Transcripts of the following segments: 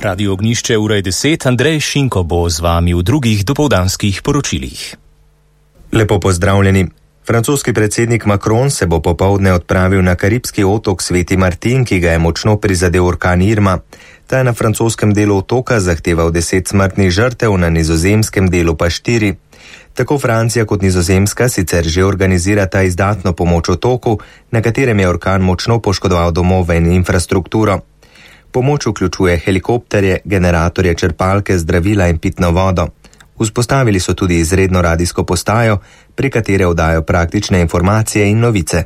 Radio Ognjišče, ura je 10, Andrej Šinko bo z vami v drugih dopoldanskih poročilih. Lepo pozdravljeni. Francoski predsednik Macron se bo popoldne odpravil na karibski otok Sveti Martin, ki ga je močno prizadel orkan Irma. Ta je na francoskem delu otoka zahteval 10 smrtnih žrtev, na nizozemskem delu pa 4. Tako Francija kot Nizozemska sicer že organizirata izdatno pomoč otoku, na katerem je orkan močno poškodoval domove in infrastrukturo. Pomoč vključuje helikopterje, generatorje, črpalke, zdravila in pitno vodo. Vzpostavili so tudi izredno radijsko postajo, pri katere oddajo praktične informacije in novice.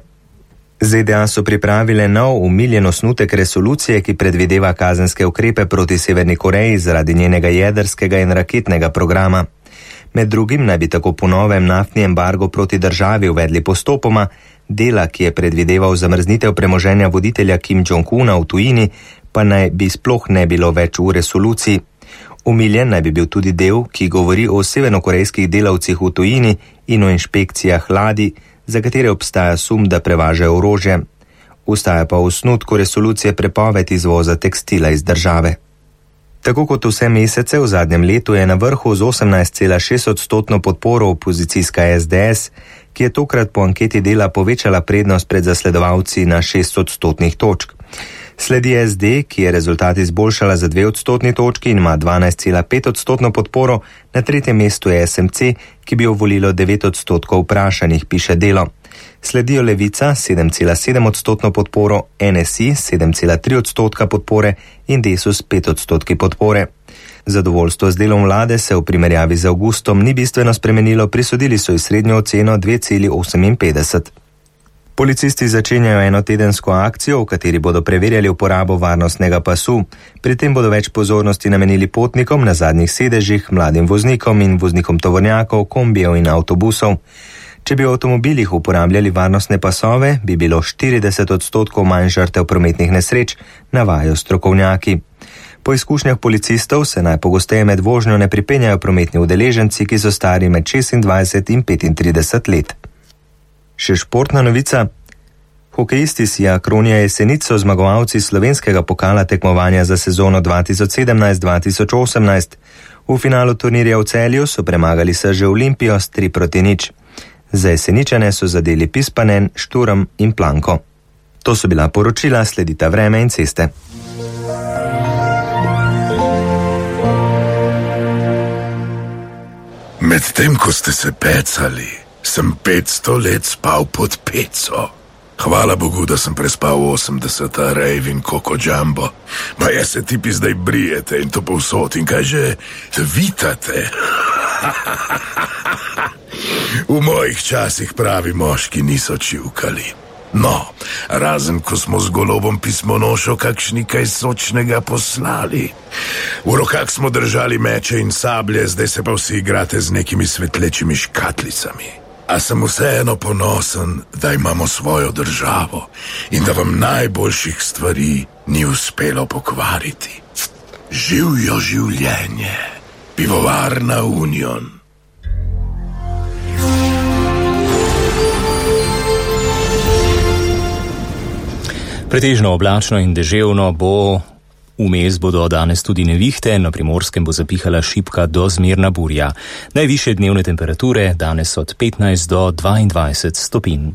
ZDA so pripravile nov umiljen osnutek resolucije, ki predvideva kazenske ukrepe proti Severni Koreji zaradi njenega jedrskega in raketnega programa. Med drugim naj bi tako po novem naftni embargo proti državi uvedli postopoma, dela, ki je predvideval zamrznitev premoženja voditelja Kim Jong-una v tujini, pa naj bi sploh ne bilo več v resoluciji. Umiljen naj bi bil tudi del, ki govori o severnokorejskih delavcih v tujini in o inšpekcijah ladij, za katere obstaja sum, da prevažajo orožje. Ostaja pa v osnutku resolucije prepoved izvoza tekstila iz države. Tako kot vse mesece v zadnjem letu je na vrhu z 18,6% podporo opozicijska SDS, ki je tokrat po anketi Dela povečala prednost pred zasledovalci na 6% točk. Sledi SD, ki je rezultat izboljšala za 2% točki in ima 12,5% podporo, na tretjem mestu je SMC, ki bi jo volilo 9% vprašanih, piše Delo. Sledijo Levica 7,7% podporo, NSI 7,3% podpore in Desus 5% podpore. Zadovoljstvo z delom vlade se v primerjavi z avgustom ni bistveno spremenilo, prisodili so ji srednjo oceno 2,58. Policisti začenjajo enotedensko akcijo, v kateri bodo preverjali uporabo varnostnega pasu. Pri tem bodo več pozornosti namenili potnikom na zadnjih sedežih, mladim voznikom in voznikom tovornjakov, kombijev in avtobusov. Če bi v avtomobilih uporabljali varnostne pasove, bi bilo 40% manj žrtev prometnih nesreč, navajajo strokovnjaki. Po izkušnjah policistov se najpogosteje med vožnjo ne pripenjajo prometni udeleženci, ki so stari med 26 in 35 let. Še športna novica. Hokejisti Sija Kronja Jesenic so zmagovalci slovenskega pokala tekmovanja za sezono 2017-2018. V finalu turnirja v Celju so premagali Srže Olimpijo s 3-0. Za Jeseničane so zadeli Pispanen, Šturm in Planko. To so bila poročila, sledita vreme in ceste. Medtem ko ste se pecali, sem 500 let spal pod peco. Hvala Bogu, da sem prespal 80 rejv in Koko Jumbo. Pa jaz se tipi zdaj brijete in to povsod in kaj že vitate. V mojih časih pravi moški niso čivkali. No, razen ko smo z golobom pismonošo kakšni kaj sočnega poslali. V rokah smo držali meče in sablje, zdaj se pa vsi igrate z nekimi svetlečimi škatlicami. A sem vseeno ponosen, da imamo svojo državo in da vam najboljših stvari ni uspelo pokvariti. Živjo življenje, pivovarna Union. Pretežno oblačno in deževno bo, vmes bodo danes tudi nevihte, na Primorskem bo zapihala šibka do zmerna burja. Najvišje dnevne temperature danes od 15 do 22 stopinj.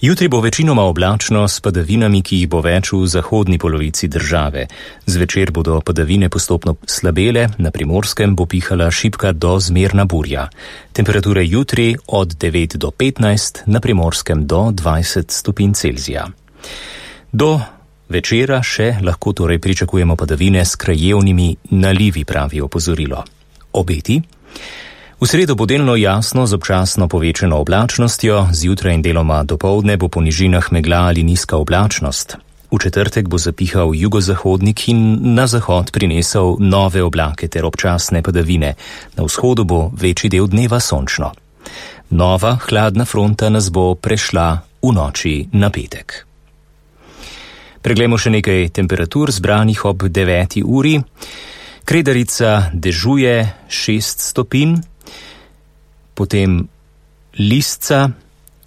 Jutri bo večinoma oblačno s padavinami, ki jih bo več v zahodni polovici države. Zvečer bodo padavine postopno slabele, na Primorskem bo pihala šibka do zmerna burja. Temperature jutri od 9 do 15, na Primorskem do 20 stopinj Celzija. Do večera še lahko torej pričakujemo padavine s krajevnimi nalivi, pravi opozorilo. Obeti? V sredo bo delno jasno z občasno povečano oblačnostjo, zjutraj in deloma dopoldne bo po nižinah megla ali nizka oblačnost. V četrtek bo zapihal jugozahodnik in na zahod prinesel nove oblake ter občasne padavine. Na vzhodu bo večji del dneva sončno. Nova hladna fronta nas bo prešla v noči na petek. Preglejmo še nekaj temperatur zbranih ob 9. uri. Kredarica dežuje 6 stopinj, potem Lisca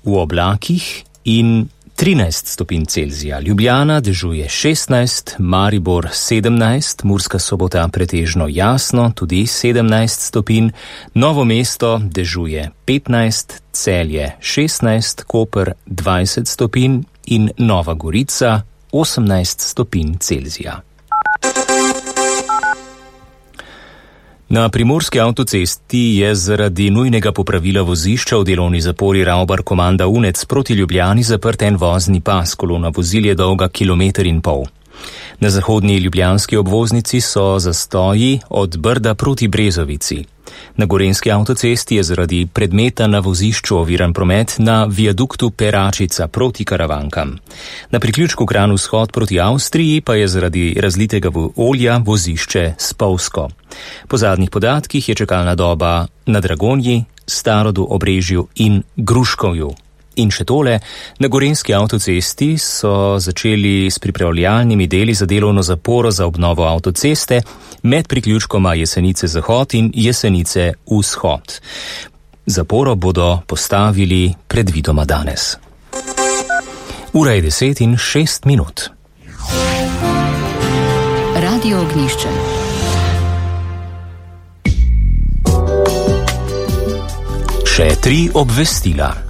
v oblakih in 13 stopinj Celzija, Ljubljana dežuje 16, Maribor 17, Murska Sobota pretežno jasno, tudi 17 stopinj, Novo mesto dežuje 15, Celje 16, Koper 20 stopinj in Nova Gorica 18 stopinj Celzija. Na primorski avtocesti je zaradi nujnega popravila vozišča v delovni zapori Ravbar-Komanda Unec proti Ljubljani zaprt en vozni pas, kolona vozil je dolga 1,5 kilometra. Na zahodni ljubljanski obvoznici so zastoji od Brda proti Brezovici. Na gorenjski avtocesti je zaradi predmeta na vozišču oviran promet na viaduktu Peračica proti Karavankam. Na priključku Kranj-Vzhod proti Avstriji pa je zaradi razlitega olja vozišče spolzko. Po zadnjih podatkih je čakalna doba na Dragonji, Starodu, Obrežju in Gruškovju. In še tole, na gorenjski avtocesti so začeli s pripravljalnimi deli za delovno zaporo za obnovo avtoceste med priključkoma Jesenice Zahod in Jesenice Vzhod. Zaporo bodo postavili predvidoma danes. Ura je 10:06. Radio Ognjišče. Še 3 obvestila.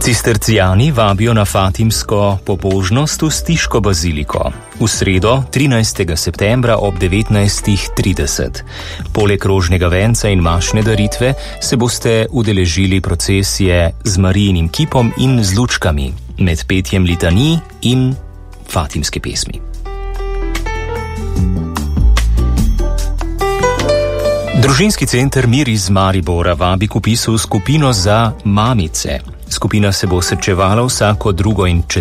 Cistercijani vabijo na fatimsko pobožnost v Stiško baziliko v sredo 13. septembra ob 19:30. Poleg rožnega venca in mašne daritve se boste udeležili procesije z Marijinim kipom in z lučkami, med petjem litanij in fatimske pesmi. Družinski center Mir iz Maribora vabi k vpisu v skupino za mamice. Skupina se bo srečevala vsako 2. in 4.